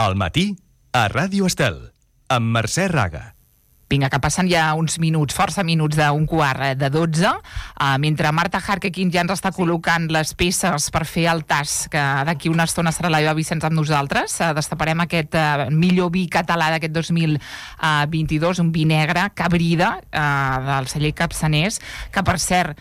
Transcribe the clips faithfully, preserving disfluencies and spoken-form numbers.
Al matí, a Ràdio Estel, amb Mercè Raga. Vinga, que passen ja uns minuts, força minuts d'un quart de dotze, uh, mentre Marta Harkekin ja ens està col·locant les peces per fer el tas, que d'aquí una estona serà la Eva Vicenç amb nosaltres. Uh, destaparem aquest uh, millor vi català d'aquest dos mil vint-i-dos, un vi negre, Cabrida, uh, del celler Capçaners, que per cert,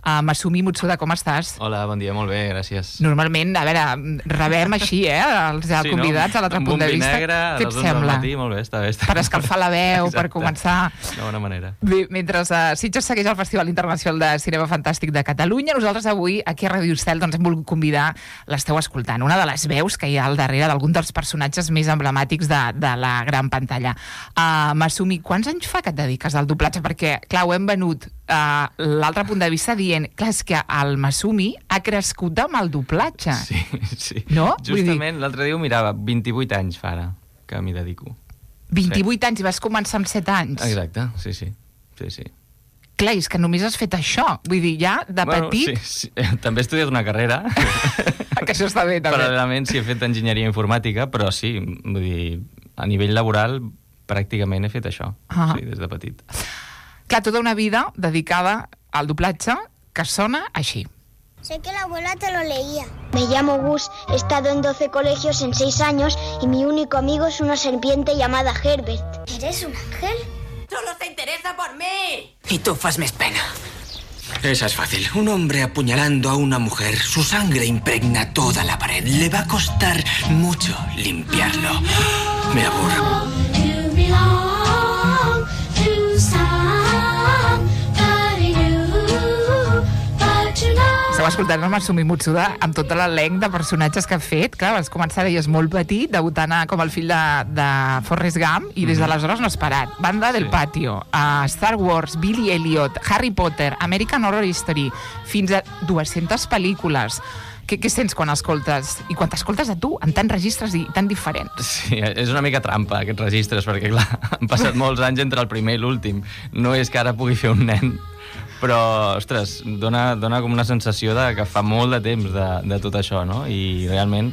Uh, Masumi Mutsuda, com estàs? Hola, bon dia, molt bé, gràcies. Normalment, a veure, rebem així, eh, els sí, convidats no? a l'altre punt de vista. Amb un vi negre, a les onze del matí, molt bé, està bé. Està... Per escalfar la veu, exacte. Per començar... De bona manera. Bé, mentre uh, Sitges segueix el Festival Internacional de Cinema Fantàstic de Catalunya, nosaltres avui, aquí a Ràdio Estel, doncs hem volgut convidar, l'esteu escoltant, una de les veus que hi ha al darrere d'algun dels personatges més emblemàtics de, de la gran pantalla. Uh, Masumi, quants anys fa que et dediques al doblatge? Perquè, clar, ho hem venut Uh, l'altre punt de vista dient, clar, és que el Masumi ha crescut amb el doblatge. Sí, sí. No? Justament dir... l'altre dia ho mirava, vint-i-vuit anys fa ara que m'hi dedico. vint-i-vuit sí. anys i vas començar amb set anys? Exacte, sí, sí. sí, sí. Clar, és que només has fet això. Vull dir, ja, de bueno, petit... Sí, sí. També he estudiat una carrera. Que això està bé, també. Paral·lelament sí he fet enginyeria informàtica, però sí, vull dir, a nivell laboral pràcticament he fet això, ah. sí, des de petit. Clar, toda una vida dedicada al doblatge que sona així. Sé que la abuela te lo leía. Me llamo Gus, he estado en doce colegios en seis años y mi único amigo es una serpiente llamada Herbert. ¿Eres un ángel? ¡Solo se interesa por mí! Y tú fas més pena. Esa es fácil. Un hombre apuñalando a una mujer. Su sangre impregna toda la pared. Le va a costar mucho limpiarlo. Me aburro. Esteu escoltant el Masumi Mutsuda amb tot l'elenc de personatges que ha fet. Clar, vas començar, deies, molt petit, debutant com el fill de, de Forrest Gump, i des d'aleshores no has parat. Banda del sí. Patio, uh, Star Wars, Billy Elliot, Harry Potter, American Horror Story, fins a dues-centes pel·lícules. Què, què sents quan escoltes? I quan t'escoltes a tu, en tants registres i tan diferents? Sí, és una mica trampa, aquests registres, perquè, clar, han passat molts anys entre el primer i l'últim. No és que ara pugui fer un nen, però, ostres, dona, dona com una sensació de que fa molt de temps de, de tot això, no? I realment,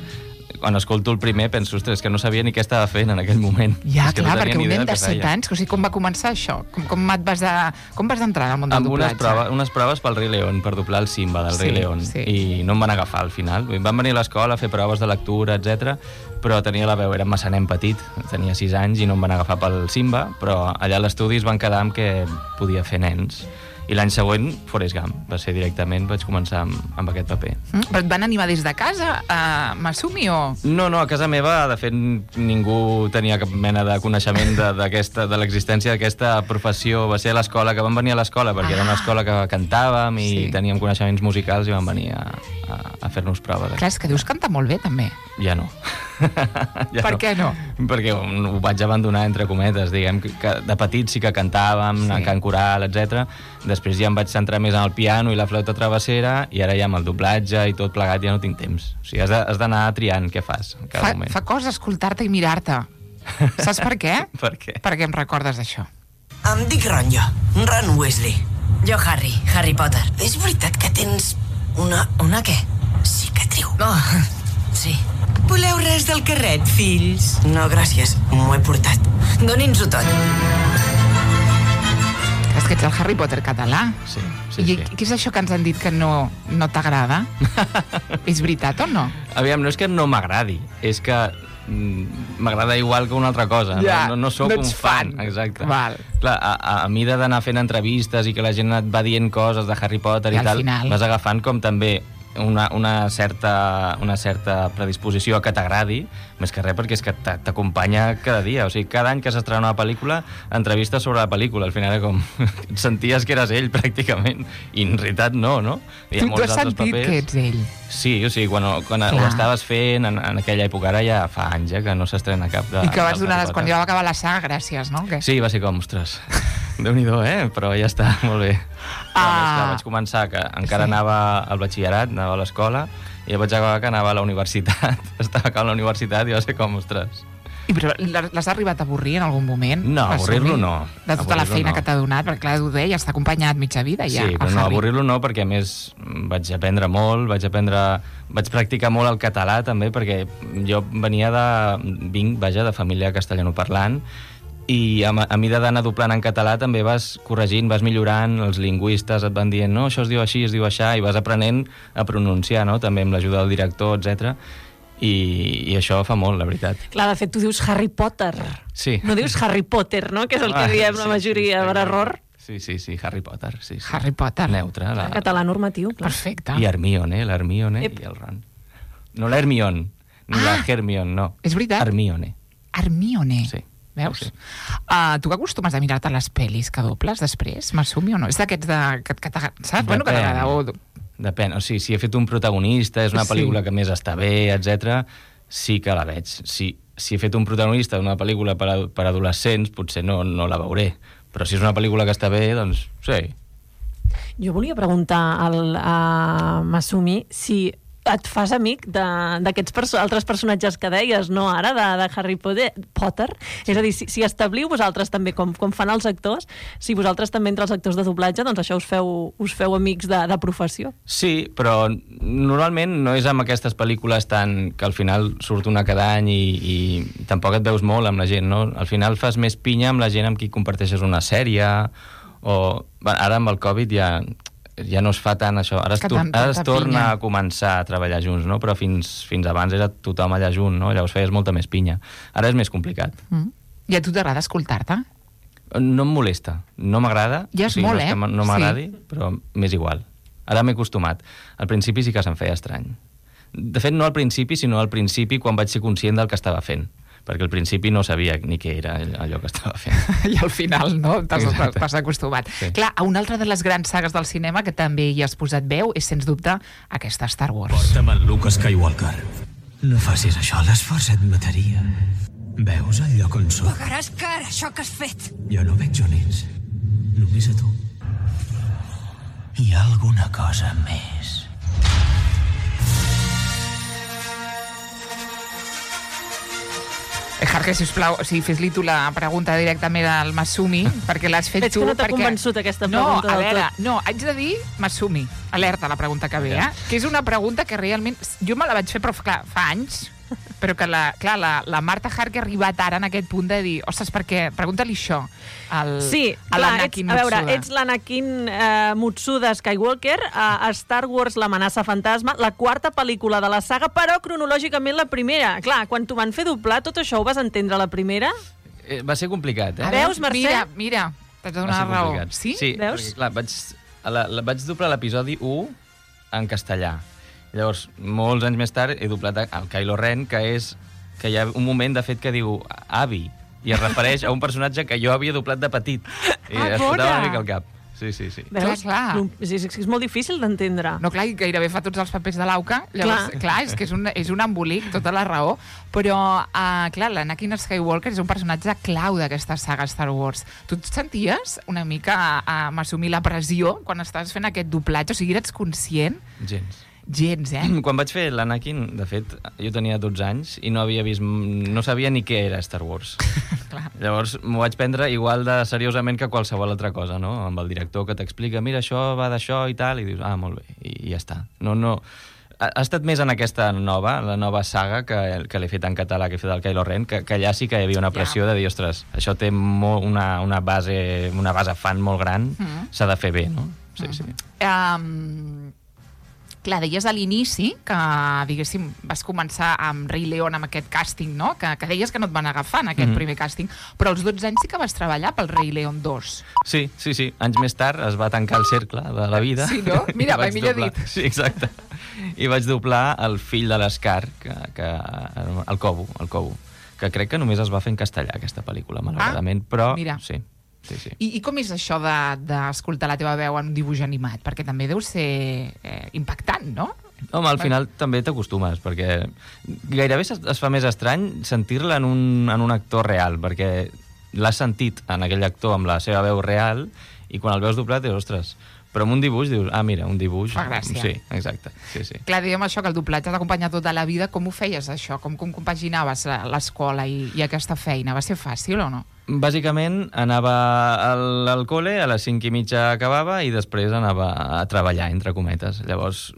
quan escolto el primer, penso, ostres, que no sabia ni què estava fent en aquell moment. Ja, és que clar, no perquè un nen de set feia. anys, o sigui, com va començar això? Com, com, et vas, de, com vas entrar al món del amb doblatge? Amb unes, prova, unes proves pel Rei León, per doblar el Simba del sí, Rei León, sí. i no em van agafar al final. Van venir a l'escola a fer proves de lectura, etcètera, però tenia la veu, era massa nen petit, tenia sis anys i no em van agafar pel Simba, però allà a l'estudi es van quedar amb que podia fer nens. I l'any següent, Forrest Gump. Va ser directament, vaig començar amb, amb aquest paper. Mm, però et van animar des de casa, a Masumi, o...? No, no, a casa meva, de fet, ningú tenia cap mena de coneixement de, d'aquesta, de l'existència d'aquesta professió. Va ser a l'escola, que van venir a l'escola, perquè ah. era una escola que cantàvem i sí. teníem coneixements musicals i van venir a, a, a fer-nos proves. Clar, és que dius cantar molt bé, també. Ja no. ja per no. què no? Perquè ho vaig abandonar, entre cometes, diguem, que de petit sí que cantàvem, sí. cant coral, etcètera. Després ja em vaig centrar més en el piano i la flauta travessera, i ara ja amb el doblatge i tot plegat ja no tinc temps. O sigui, has d'anar triant què fas en cada fa, moment. Fa cosa escoltar-te i mirar-te. Saps per què? Per què? Perquè em recordes això. Em dic Ron, jo. Ron Weasley. Jo Harry, Harry Potter. És veritat que tens una... Una què? Cicatriu. Oh, sí. Voleu res del carret, fills? No, gràcies. M'ho he portat. Doni'ns-ho tot. És que ets el Harry Potter català. Sí, sí, I sí. què és això que ens han dit que no, no t'agrada? És veritat o no? Aviam, no és que no m'agradi, és que mm, m'agrada igual que una altra cosa. Ja, no, no, no sóc no un fan. fan. Exacte. Val. Clar, a, a, a mida d'anar fent entrevistes i que la gent et va dient coses de Harry Potter i, I tal, final... vas agafant com també una, una, certa, una certa predisposició a que t'agradi, més que res perquè és que t'acompanya cada dia. O sigui, cada any que s'estrena una pel·lícula, entrevistes sobre la pel·lícula. Al final era com... senties que eres ell, pràcticament. I en realitat no, no? Tu, tu has sentit papers. Que ets ell? Sí, o sigui, quan, quan ho estaves fent en, en aquella època, ara ja fa anys eh, que no s'estrena cap de... I que vas donar, quan ja va acabar la saga, gràcies, no? Que... Sí, va ser com, ostres, Déu-n'hi-do, eh? Però ja està, molt bé. Ah. Més, clar, vaig començar, que encara sí. anava al batxillerat, anava a l'escola, i ja vaig acabar que anava a la universitat. Estava acabant la universitat i va ser com, ostres, I però l'has arribat a avorrir en algun moment? No, avorrir-lo no. De tota la feina no. que t'ha donat, perquè clar, ho deia, està acompanyat mitja vida ja. Sí, però no, avorrir-lo no, perquè a més vaig aprendre molt, vaig aprendre... Vaig practicar molt el català també, perquè jo venia de... vinc, vaja, de família castellanoparlant, i a, a mida d'anar doblant en català també vas corregint, vas millorant, els lingüistes et van dient no, això es diu així, es diu aixà, i vas aprenent a pronunciar, no?, també amb l'ajuda del director, etcètera. I, i això fa molt, la veritat. Clar, de fet, tu dius Harry Potter. Sí. No dius Harry Potter, no?, que és el que diem la majoria sí, sí, per error. Sí, sí, sí, Harry Potter. Sí, sí. Harry Potter. Neutre. La... Català normatiu, clar. Perfecte. I Hermione, l'Hermione i el Ron. No l'Hermione, ni Ah. la Hermione, no. És veritat? Hermione. Hermione. Sí. Veus? Sí. Uh, tu que acostumes a mirar-te les pel·lis que dobles després, m'assumi o no? És d'aquests de... que, que saps? Bueno, que t'agrada. O... Depèn. O sigui, si he fet un protagonista, és una pel·lícula Sí. que més està bé, etcètera, sí que la veig. Si, si he fet un protagonista d'una pel·lícula per, a, per adolescents, potser no, no la veuré. Però si és una pel·lícula que està bé, doncs sí. Jo volia preguntar al, a Masumi si et fas amic d'aquests perso altres personatges que deies, no ara, de, de Harry Potter. Sí. És a dir, si, si establiu vosaltres també, com, com fan els actors, si vosaltres també entre els actors de doblatge, doncs això us feu, us feu amics de, de professió. Sí, però normalment no és amb aquestes pel·lícules tan que al final surt una cada any i, i tampoc et veus molt amb la gent, no? Al final fas més pinya amb la gent amb qui comparteixes una sèrie o... Ara amb el Covid ja... ja no es fa tant això, ara es, tor ara es torna pinya. a començar a treballar junts, no? Però fins, fins abans era tothom allà junt, no? Llavors feies molta més pinya. Ara és més complicat. Mm. I a tu t'agrada escoltar-te? No em molesta, no m'agrada. Ja és o sigui, molt, no és eh? que no m'agradi, sí. Però m'és igual. Ara m'he acostumat. Al principi sí que se'm feia estrany. De fet, no al principi, sinó al principi quan vaig ser conscient del que estava fent. Perquè al principi no sabia ni què era allò que estava fent. I al final, no? T'has acostumat. Sí. Clar, a una altra de les grans sagues del cinema que també hi has posat veu és, sens dubte, aquesta Star Wars. Porta'm en Luke Skywalker. No facis això, l'esforç et mataria. Veus el lloc on soc? Pagaràs cara, això que has fet. Jo no veig on ets. Només a tu. Hi ha alguna cosa més. Harker, sisplau, o sigui, fes-li tu la pregunta directament al Masumi, perquè l'has fet Veig tu. que no t'ha perquè... convençut aquesta no, pregunta a del veure, tot. no, haig de dir, Masumi, alerta la pregunta que ve, eh? Que és una pregunta que realment... Jo me la vaig fer, però clar, fa anys, però que la, clar, la, la Marta Harker ha arribat ara en aquest punt de dir, ostres, perquè, pregunta-li això al, Sí, a clar, ets, l'Anakin a veure, Mutsuda. ets l'Anakin eh, Mutsuda Skywalker a, a Star Wars l'amenaça fantasma, la quarta pel·lícula de la saga, però cronològicament la primera. Clar, quan t'ho van fer doblar, tot això ho vas entendre a la primera? Eh, va ser complicat, eh? A Veus, veure, Mercè? Mira, mira, t'has de Va donar ser raó. complicat. Sí? Sí, Veus? perquè clar, vaig, a la, la, vaig doblar l'episodi u en castellà. Llavors, molts anys més tard, he doblat el Kylo Ren, que és que hi ha un moment, de fet, que diu avi, i es refereix a un personatge que jo havia doblat de petit. I Ah, es bona! fotava una mica al cap. Sí, sí, sí. Veus? clar. Sí, sí, és molt difícil d'entendre. No, clar, i gairebé fa tots els papers de l'Auca. Llavors, clar. Clar. clar, és que és un, és un embolic, tota la raó. Però, uh, clar, l'Anakin Skywalker és un personatge clau d'aquesta saga Star Wars. Tu et senties una mica a, a m'assumir la pressió quan estaves fent aquest doblatge? O sigui, eres conscient? Gens. Gens, eh? Quan vaig fer l'Anakin, de fet, jo tenia dotze anys i no havia vist, no sabia ni què era Star Wars. Clar. Llavors m'ho vaig prendre igual de seriosament que qualsevol altra cosa, no? Amb el director que t'explica, mira, això va d'això i tal, i dius, ah, molt bé, i, i ja està. No, no... Ha, ha estat més en aquesta nova, la nova saga, que, que l'he fet en català, que he fet el Kylo Ren, que, que allà sí que hi havia una pressió Ja. de dir, ostres, això té molt, una, una, base, una base fan molt gran, Mm. s'ha de fer bé, no? Sí, sí. Um, clar, deies a l'inici que, diguéssim, vas començar amb Rei León, amb aquest càsting, no? Que, que deies que no et van agafar en aquest Mhm. primer càsting, però als dotze anys sí que vas treballar pel Rei León dos. Sí, sí, sí. Anys més tard es va tancar el cercle de la vida. Sí, no? Mira, I vaig mai millor doblar- dit. Sí, exacte. I vaig doblar el fill de l'Escar, que, que, el Cobo, el Cobo, que crec que només es va fer en castellà, aquesta pel·lícula, malauradament, Ah, però mira. sí. Sí, sí. I, I com és això d'escoltar de, la teva veu en un dibuix animat? Perquè també deu ser eh, impactant, no? Home, al final també t'acostumes, perquè gairebé es, es fa més estrany sentir-la en, un, en un actor real, perquè l'has sentit en aquell actor amb la seva veu real, i quan el veus doblat dius, ostres, Però amb un dibuix dius, ah, mira, un dibuix... Fa gràcia. Sí, exacte. Sí, sí. Clar, diguem això, que el doblatge t'ha acompanyat tota la vida. Com ho feies, això? Com, com compaginaves l'escola i, i aquesta feina? Va ser fàcil o no? Bàsicament, anava al, al col·le, a les cinc i mitja acabava i després anava a treballar, entre cometes. Llavors,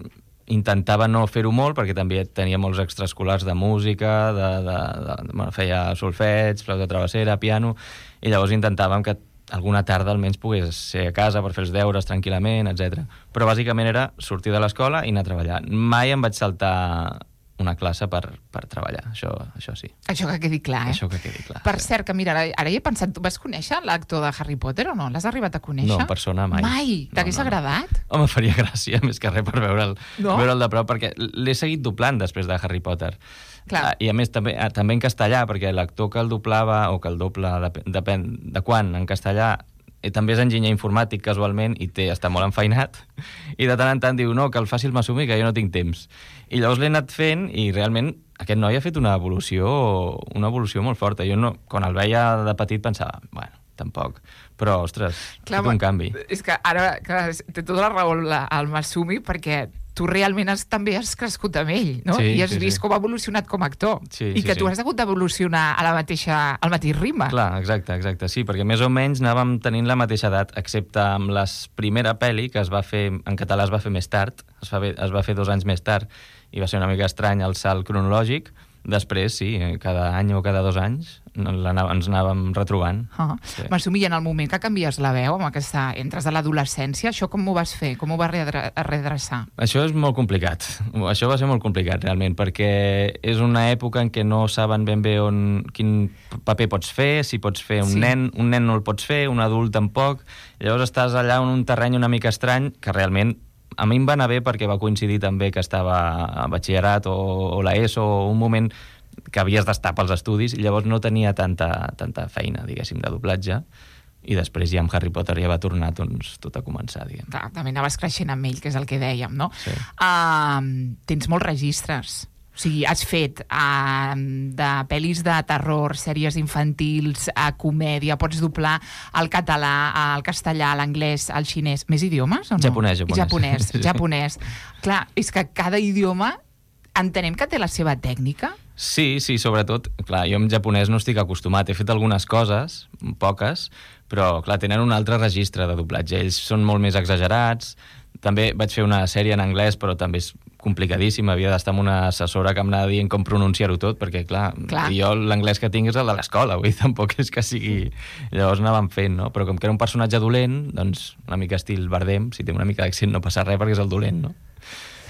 intentava no fer-ho molt, perquè també tenia molts extraescolars de música, de, de, de, bueno, feia solfeig, flauta travessera, piano, i llavors intentàvem que alguna tarda almenys pogués ser a casa per fer els deures tranquil·lament, etcètera. Però bàsicament era sortir de l'escola i anar a treballar. Mai em vaig saltar una classe per, per treballar, això, això sí. Això que quedi clar, eh? Això que quedi clar. Per sí. cert, que mira, ara, ara hi he pensat, tu vas conèixer l'actor de Harry Potter o no? L'has arribat a conèixer? No, en persona mai. Mai? T'hagués no, no, agradat? No. Home, faria gràcia, més que res per veure'l no? veure'l de prop, perquè l'he seguit doblant després de Harry Potter. Clar. I a més també, també en castellà, perquè l'actor que el doblava, o que el dobla, depèn, depèn de quan, en castellà, i també és enginyer informàtic casualment i té, està molt enfeinat i de tant en tant diu, no, que el faci el Masumi, que jo no tinc temps. I llavors l'he anat fent i realment aquest noi ha fet una evolució una evolució molt forta. Jo no, quan el veia de petit pensava, bueno, tampoc. Però, ostres, clar, ha fet un canvi. És que ara clar, té tota la raó el Masumi, perquè tu realment has, també has crescut amb ell, no? Sí, I has sí, vist sí. com ha evolucionat com a actor. Sí, I sí, que sí. tu has hagut d'evolucionar a la mateixa, al mateix ritme. Clar, exacte, exacte. Sí, perquè més o menys anàvem tenint la mateixa edat, excepte amb la primera pel·li, que es va fer, en català es va fer més tard, es va, es va fer dos anys més tard, i va ser una mica estrany el salt cronològic. Després, sí, cada any o cada dos anys ens anàvem retrobant. Uh -huh. Sí. Masumi, en el moment que canvies la veu, amb aquesta, entres a l'adolescència, això com ho vas fer? Com ho vas redreçar? Això és molt complicat. Això va ser molt complicat, realment, perquè és una època en què no saben ben bé on, quin paper pots fer, si pots fer un Sí. nen, un nen no el pots fer, un adult tampoc. Llavors estàs allà en un terreny una mica estrany, que realment a mi em va anar bé perquè va coincidir també que estava a batxillerat o, o la ESO, o un moment que havies d'estar pels estudis, i llavors no tenia tanta, tanta feina, diguéssim, de doblatge, i després ja amb Harry Potter ja va tornar doncs, tot a començar, diguem. Clar, també anaves creixent amb ell, que és el que dèiem, no? Sí. Uh, tens molts registres. O sigui, has fet uh, de pel·lis de terror, sèries infantils, a comèdia, pots doblar el català, el castellà, l'anglès, el xinès. Més idiomes o no? Japonès, japonès. Japonès, Sí. japonès. Clar, és que cada idioma entenem que té la seva tècnica. Sí, sí, sobretot, clar, jo en japonès no estic acostumat. He fet algunes coses, poques, però, clar, tenen un altre registre de doblatge. Ells són molt més exagerats. També vaig fer una sèrie en anglès, però també és complicadíssim. Havia d'estar amb una assessora que em anava dient com pronunciar-ho tot, perquè, clar, clar. jo l'anglès que tinc és el de l'escola, vull dir, tampoc és que sigui... Llavors anàvem fent, no? Però com que era un personatge dolent, doncs una mica estil Bardem, si té una mica d'accent no passa res perquè és el dolent, no?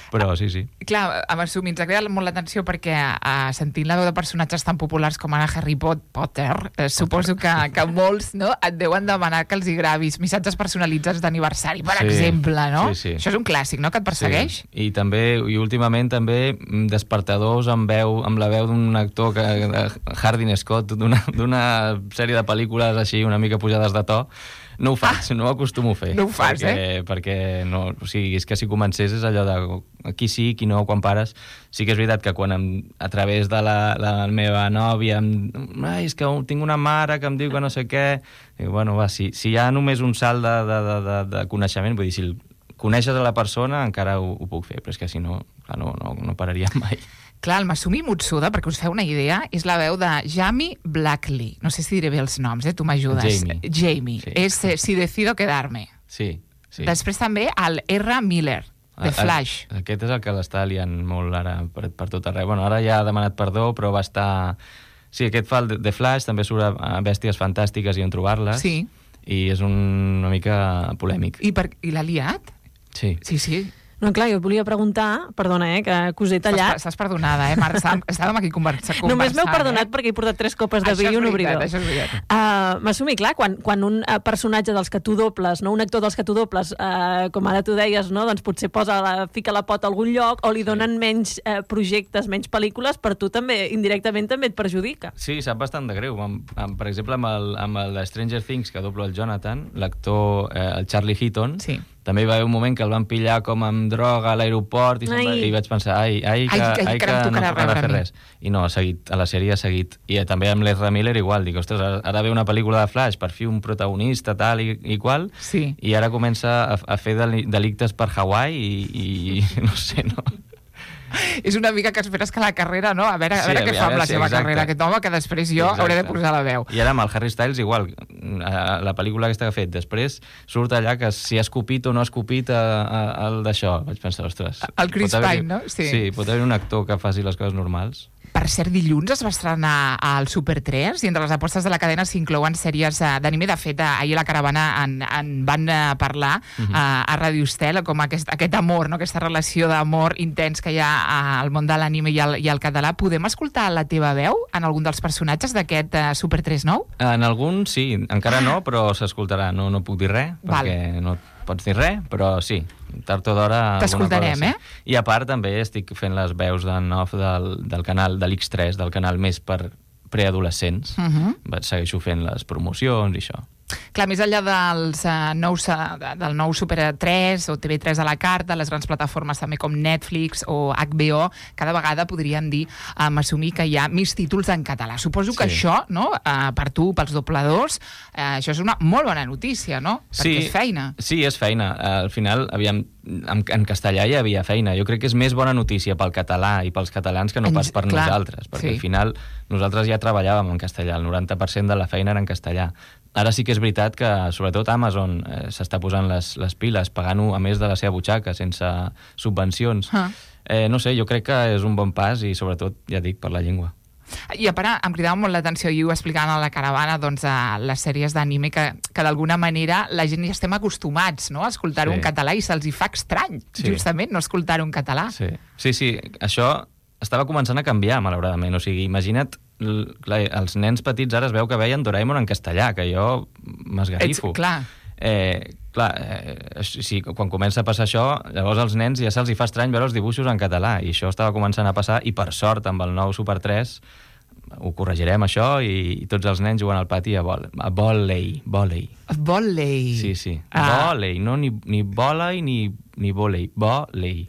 Però sí, sí. Clar, a Masumi ens ha cridat molt l'atenció perquè uh, sentint la veu de personatges tan populars com ara Harry Potter, eh, suposo que, que molts no, et deuen demanar que els hi gravis missatges personalitzats d'aniversari, per Sí, exemple, no? sí, sí. Això és un clàssic, no?, que et persegueix. Sí. I també, i últimament també despertadors amb veu, amb la veu d'un actor que, de Hardin Scott, d'una d'una sèrie de pel·lícules així una mica pujades de to. No ho faig, ah, no ho acostumo a fer. No ho fas, perquè, eh? Perquè no, o sigui, és que si comencés és allò de aquí sí, aquí no, quan pares. Sí que és veritat que quan em, a través de la, la meva nòvia em, ai, és que tinc una mare que em diu que no sé què, i bueno, va, si, si hi ha només un salt de, de, de, de, de coneixement, vull dir, si coneixes a la persona encara ho, ho puc fer, però és que si no, clar, no, no, no pararia mai. Clar, el Masumi Mutsuda, perquè us feu una idea, és la veu de Jamie Blackley. No sé si diré bé els noms, eh? Tu m'ajudes. Jamie. Jamie. Sí. És eh, Si decido quedarme. Sí, sí. Després també el R. Miller, de Flash. El, aquest és el que l'està liant molt ara per, per tot arreu. Bueno, ara ja ha demanat perdó, però va estar... Sí, aquest fa el de Flash, també surt a Bèsties Fantàstiques i On trobar-les. Sí. I és un, una mica polèmic. I, per, i l'ha liat? Sí. Sí, sí. No, clar, jo et volia preguntar, perdona, eh, que, que us he tallat. Estàs, estàs perdonada, eh, Marc? Estàvem, estàvem aquí conversant. Només m'heu perdonat eh? perquè he portat tres copes de Això vi és i un veritat, obridor. això és veritat. Uh, M'assumi, clar, quan, quan un uh, personatge dels que tu dobles, no, un actor dels que tu dobles, uh, com ara tu deies, no, doncs potser posa la, fica la pota a algun lloc o li donen menys uh, projectes, menys pel·lícules, per tu també, indirectament, també et perjudica. Sí, sap bastant de greu. Amb, amb, per exemple, amb el, amb el de Stranger Things, que doblo el Jonathan, l'actor, eh, el Charlie Heaton, Sí. També hi va haver un moment que el van pillar com amb droga a l'aeroport i, va, i vaig pensar, ai, ai, que, ai, ai, ai, que, que no tornarà a fer res. I no, ha seguit, a la sèrie ha seguit. I també amb l'Ezra Miller igual, dic, ostres, ara, ara ve una pel·lícula de Flash, per fi un protagonista tal i, i qual, sí. I ara comença a, a fer delictes per Hawaii i, i no sé, no... És una mica que esperes que la carrera, no? A veure, a veure sí, què fa amb la sí, seva exacte. carrera aquest home, que després jo exacte. hauré de posar la veu. I ara amb el Harry Styles igual, la pel·lícula aquesta que ha fet, després surt allà que si ha escopit o no ha escopit el d'això. Vaig pensar, ostres... El Chris Pine, no? Sí. Sí, pot haver un actor que faci les coses normals. Per cert, dilluns es va estrenar al Super tres i entre les apostes de la cadena s'inclouen sèries d'anime. De fet, ahir a la caravana en, en van parlar uh-huh. a, a Radio Estel com aquest, aquest amor, no? Aquesta relació d'amor intens que hi ha al món de l'anime i, el, i el català. Podem escoltar la teva veu en algun dels personatges d'aquest uh, Super tres nou? En algun sí, encara no, però s'escoltarà. No, no puc dir res, Val. perquè no pots dir res, però sí, tard o d'hora... T'escoltarem, cosa, eh? Sí. I a part també estic fent les veus d'en off del, del canal de l'X tres, del canal més per preadolescents. Uh-huh. Segueixo fent les promocions i això. Clar, més enllà dels, uh, nous, uh, del nou Super tres o T V tres a la carta, les grans plataformes també com Netflix o H B O, cada vegada podríem dir, um, assumir que hi ha més títols en català. Suposo que sí. això, no, uh, per tu, pels dobladors, uh, això és una molt bona notícia, no? Perquè sí, és feina. Sí, és feina. Uh, al final, aviam, en, en castellà hi havia feina. Jo crec que és més bona notícia pel català i pels catalans que no pas per Clar, nosaltres, perquè sí. al final nosaltres ja treballàvem en castellà, el noranta per cent de la feina era en castellà. Ara sí que és veritat que, sobretot, Amazon eh, s'està posant les, les piles, pagant-ho a més de la seva butxaca, sense subvencions. Ah. Eh, no sé, jo crec que és un bon pas i, sobretot, ja dic, per la llengua. I a part, em cridava molt l'atenció, i ho explicant a la caravana, doncs, a les sèries d'anime, que, que d'alguna manera la gent ja estem acostumats, no?, a escoltar-ho sí. en català i se'ls hi fa estrany, sí. justament, no escoltar-ho en català. Sí. sí, sí, això estava començant a canviar, malauradament. O sigui, imagina't, clar, els nens petits ara es veu que veien Doraemon en castellà, que jo m'esgarrifo. Ets, clar. Eh, clar, eh, sí, quan comença a passar això, llavors als nens ja se'ls hi fa estrany veure els dibuixos en català, i això estava començant a passar, i per sort, amb el nou Super tres, ho corregirem, això, i, i tots els nens juguen al pati a, vol, a vòlei. Vòlei. Vòlei. Sí, sí. Ah. Vòlei, no ni, ni vòlei ni, ni vòlei. Vòlei.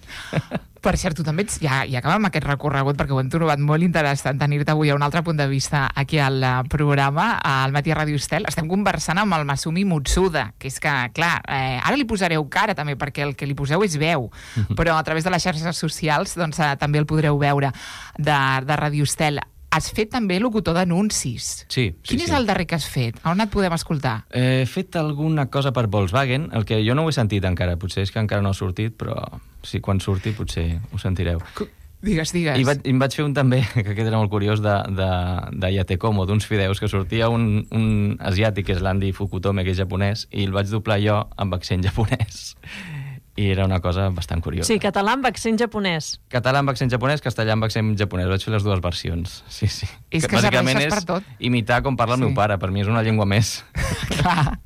Per cert, tu també ets, ja, ja acabem aquest recorregut, perquè ho hem trobat molt interessant tenir-te avui a un altre punt de vista aquí al programa, al Matí a Ràdio Estel. Estem conversant amb el Masumi Mutsuda, que és que, clar, eh, ara li posareu cara també, perquè el que li poseu és veu, però a través de les xarxes socials doncs, eh, també el podreu veure de, de Ràdio Estel. Has fet també locutor d'anuncis. Sí, sí. Quin és sí. el darrer que has fet? On et podem escoltar? He fet alguna cosa per Volkswagen, el que jo no ho he sentit encara. Potser és que encara no ha sortit, però sí, quan surti potser ho sentireu. Digues, digues. I, vaig, i em vaig fer un també, que aquest era molt curiós, de, de, de Yatekomo, d'uns fideus, que sortia un, un asiàtic, que és l'Andy Fukutome, que és japonès, i el vaig doblar jo amb accent japonès. I era una cosa bastant curiosa. Sí, català amb accent japonès. Català amb accent japonès, castellà amb accent japonès. Vaig fer les dues versions. Sí, sí. És que, que serveixes per tot. Imitar com parla sí. el meu pare. Per mi és una llengua més. Clar.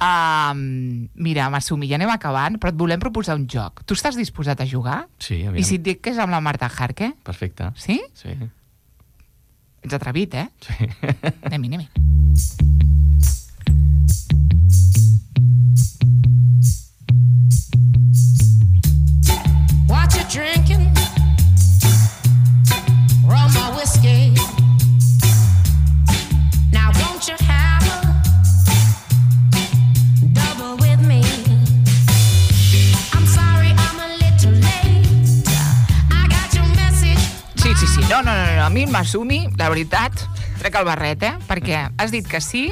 Um, mira, Masumi, ja anem acabant, però et volem proposar un joc. Tu estàs disposat a jugar? Sí, aviam. I si et dic que és amb la Marta Jarque? Perfecte. Sí? Sí. Ets atrevit, eh? Sí. Anem-hi, anem-hi. What you drinking? Rum or whiskey? Now won't you have a double with me? I'm sorry I'm a little late. I got your message. Sí, sí, sí. No, no, no, no. A mi el Masumi, la veritat, trec el barret, eh? Perquè has dit que sí.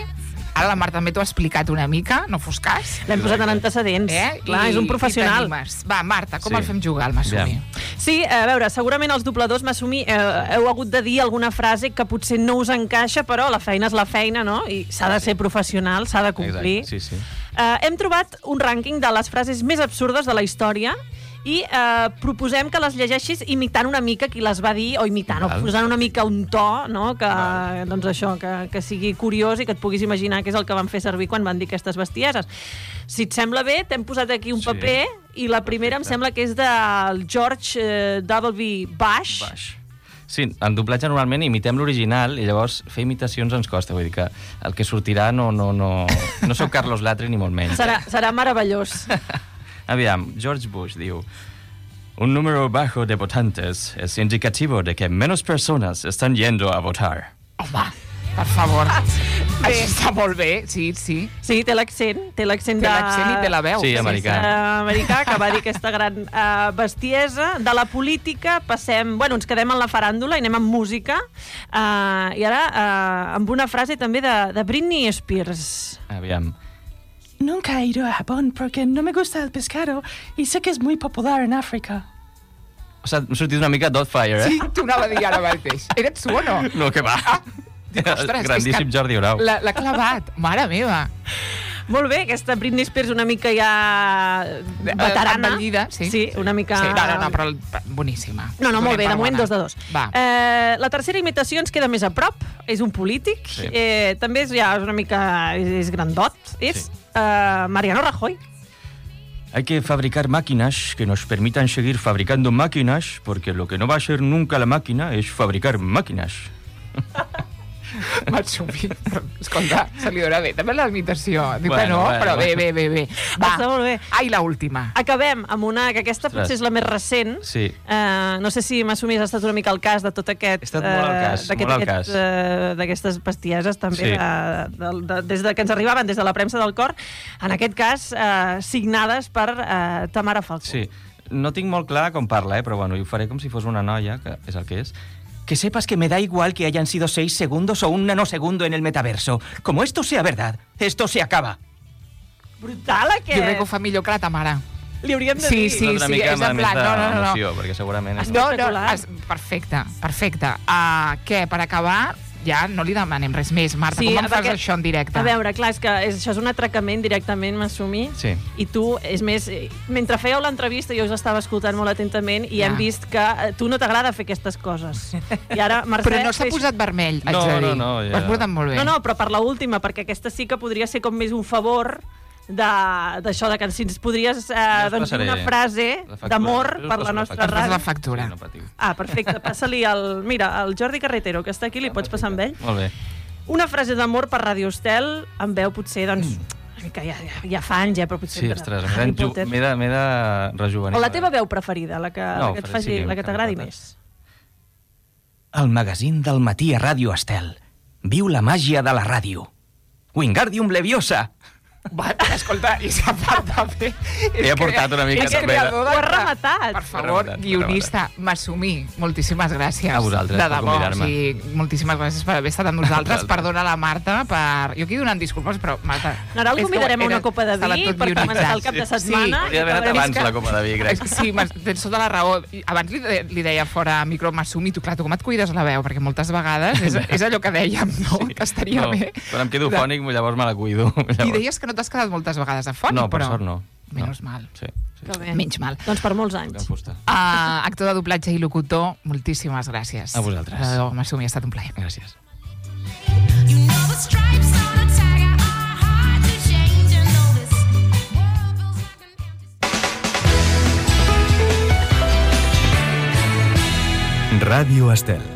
Ara la Marta també t'ho ha explicat una mica, no fos cas. L'hem posat en antecedents. Eh? Clar, I, és un professional. Va, Marta, com sí. el fem jugar, el Masumi? Ja. Sí, a veure, segurament els dobladors, Masumi, eh, heu hagut de dir alguna frase que potser no us encaixa, però la feina és la feina, no? I s'ha de ser professional, s'ha de complir. Exacte, sí, sí. Eh, hem trobat un rànquing de les frases més absurdes de la història i eh, proposem que les llegeixis imitant una mica qui les va dir, o imitant, Val. o posant una mica un to, no? Que, doncs això, que, que sigui curiós i que et puguis imaginar què és el que van fer servir quan van dir aquestes bestieses. Si et sembla bé, t'hem posat aquí un sí. paper i la primera Perfecte. Em sembla que és del George eh, W. Bush. Bush. Sí, en doblatge normalment imitem l'original i llavors fer imitacions ens costa, vull dir que el que sortirà no, no, no, no sou Carlos Latre ni molt menys. Serà, serà meravellós. Aviam, George Bush diu: un número bajo de votantes es indicativo de que menos personas están yendo a votar. Home, per favor. Això està molt bé, sí, sí. Sí, té l'accent, té l'accent Té de... l'accent i té la veu. Sí, americà. Uh, americà, que va dir aquesta gran uh, bestiesa. De la política passem... Bueno, ens quedem en la faràndula i anem amb música. Uh, I ara uh, amb una frase també de, de Britney Spears. Aviam. Nunca he ido a Japón porque no me gusta el pescado y sé que es muy popular en África. O sigui, m'ha sortit una mica Dotfire, eh? Sí, t'ho anava a dir ara mateix. Eres tu o no? No, que va. Ah, dic, ostres, grandíssim Jordi Grau. L'ha clavat, mare meva. Molt bé, aquesta Britney Spears una mica ja veterana. Envellida, sí. Sí, una mica... Sí, no, no, no, però boníssima. No, no, molt bé, Donem de per moment bona. dos de dos. Va. Eh, la tercera imitació ens queda més a prop, és un polític, Sí. eh, també és ja és una mica... és, és grandot, és Sí. eh, Mariano Rajoy. Hay que fabricar máquinas que nos permitan seguir fabricando máquinas, porque lo que no va a ser nunca la máquina es fabricar máquinas. Matsumi, però, escolta, se li dona bé. També la imitació. Diu Bueno, que no, bueno, però bé, bueno. bé, bé, bé. Va, Està molt bé. ai, la última. Acabem amb una, que aquesta Ostres. potser és la més recent. Sí. Eh, no sé si m'assumís, ha estat una mica el cas de tot aquest... He estat molt al cas, eh, d'aquest- molt al aquest, cas. eh, d'aquestes bestieses, també, Sí. de, de, de, des de que ens arribaven des de la premsa del cor, en aquest cas, eh, signades per eh, Tamara Falcó. Sí. No tinc molt clar com parla, eh? Però bueno, ho faré com si fos una noia, que és el que és. Que sepas que me da igual que hayan sido seis segundos o un nanosegundo en el metaverso. Como esto sea verdad, esto se acaba. Brutal, Jo crec que ho aquest! fa millor que la Tamara. Li hauríem de Sí, dir. sí, Una altra sí, mica és en amb plan, més no, no, no. d'emoció, perquè segurament... És... No, no, Espectacular. es, perfecte, perfecte. Uh, què, per acabar, ja no li demanem res més. Marta, Sí, com em fas perquè- això en directe? A veure, clar, és que és, això és un atracament directament, m'assumir. Sí. I tu, és més, eh, mentre fèieu l'entrevista jo us estava escoltant molt atentament i Ja. hem vist que a tu no t'agrada fer aquestes coses. I ara, Mercè... Però no s'ha fes- posat vermell, haig No, de dir. no, no, ja. Ho has portat molt bé. No, no, però per la última, perquè aquesta sí que podria ser com més un favor de- d'això, de, de que si ens podries eh, Ja us doncs, dir passaré una frase la factura. d'amor Jo us per passo la la nostra factura. Fas la ràdio. factura. Sí, no patiu. Ah, perfecte. Passa-li el... Mira, el Jordi Carretero, que està aquí, li pots passar amb ell? Molt bé. Una frase d'amor per Radio Estel, amb veu potser, doncs, una mica ja, ja, ja fa anys, eh, però potser... Sí, de- ostres, de Harry m'he de, Potter. m'he de, m'he de rejuvenir. O la teva veu preferida, la que, No, la que, et faré, faci, sí, la que t'agradi Harry Potter. més. El magazín del matí a Ràdio Estel. Viu la màgia de la ràdio. Wingardium Leviosa. Va, escolta, i s'ha part de fer... He aportat una mica és també de- creador de- Ho has rematat. Per favor, Ho he rematat, guionista, m'assumir. Moltíssimes gràcies. A vosaltres, de per debò, convidar-me. o sigui, moltíssimes gràcies per haver estat amb nosaltres. vosaltres. Perdona la Marta per... Jo aquí donant disculpes, però Marta... Ara el és que convidarem a era- una copa de estava vi tot per començar guionitzat. el cap de Sí. setmana. Hauria d'haver anat És abans que- la copa de vi, crec. És que Sí, m'has- tens tota la raó. I Abans li, de, li deia fora micro, m'assumi, tu, clar, tu com et cuides la veu? Perquè moltes vegades és, és allò que dèiem, no? Que estaria no, bé. Quan em quedo De- fònic, llavors me la cuido. I Llavors... deies que no t'has quedat moltes vegades afònic, No, per però... sort no. Menys no. mal. Sí, sí. Que bé. Menys mal. Doncs per molts Que anys. em fusta. Uh, actor de doblatge i locutor, moltíssimes gràcies. A vosaltres. Uh, M'assumi, ha estat un plaer. Gràcies. You know the stripes on a tiger are hard to change, and though this world feels like an empty Ràdio Estel.